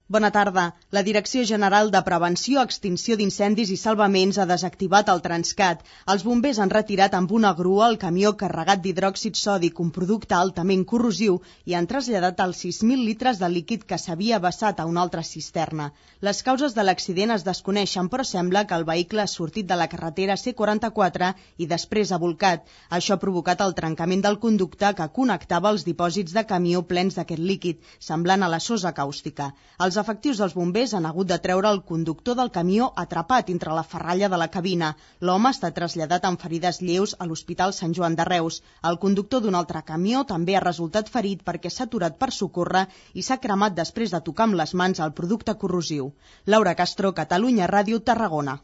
Bona tarda. La Direcció General de Prevenció, Extinció d'Incendis i Salvaments ha desactivat el Transcat. Els bombers han retirat amb una grua el camió carregat d'hidròxid sòdic, un producte altament corrosiu, i han traslladat els 6.000 litres de líquid que s'havia vessat a una altra cisterna. Les causes de l'accident es desconeixen, però sembla que el vehicle ha sortit de la carretera C44 i després ha bolcat. Això ha provocat el trencament del conducte que connectava els dipòsits de camió plens d'aquest líquid, semblant a la sosa càustica. Els efectius dels bombers han hagut de treure el conductor del camió atrapat entre la ferralla de la cabina. L'home està traslladat amb ferides lleus a l'Hospital Sant Joan de Reus. El conductor d'un altre camió també ha resultat ferit perquè s'ha aturat per socórrer i s'ha cremat després de tocar amb les mans el producte corrosiu. Laura Castro, Catalunya Ràdio, Tarragona.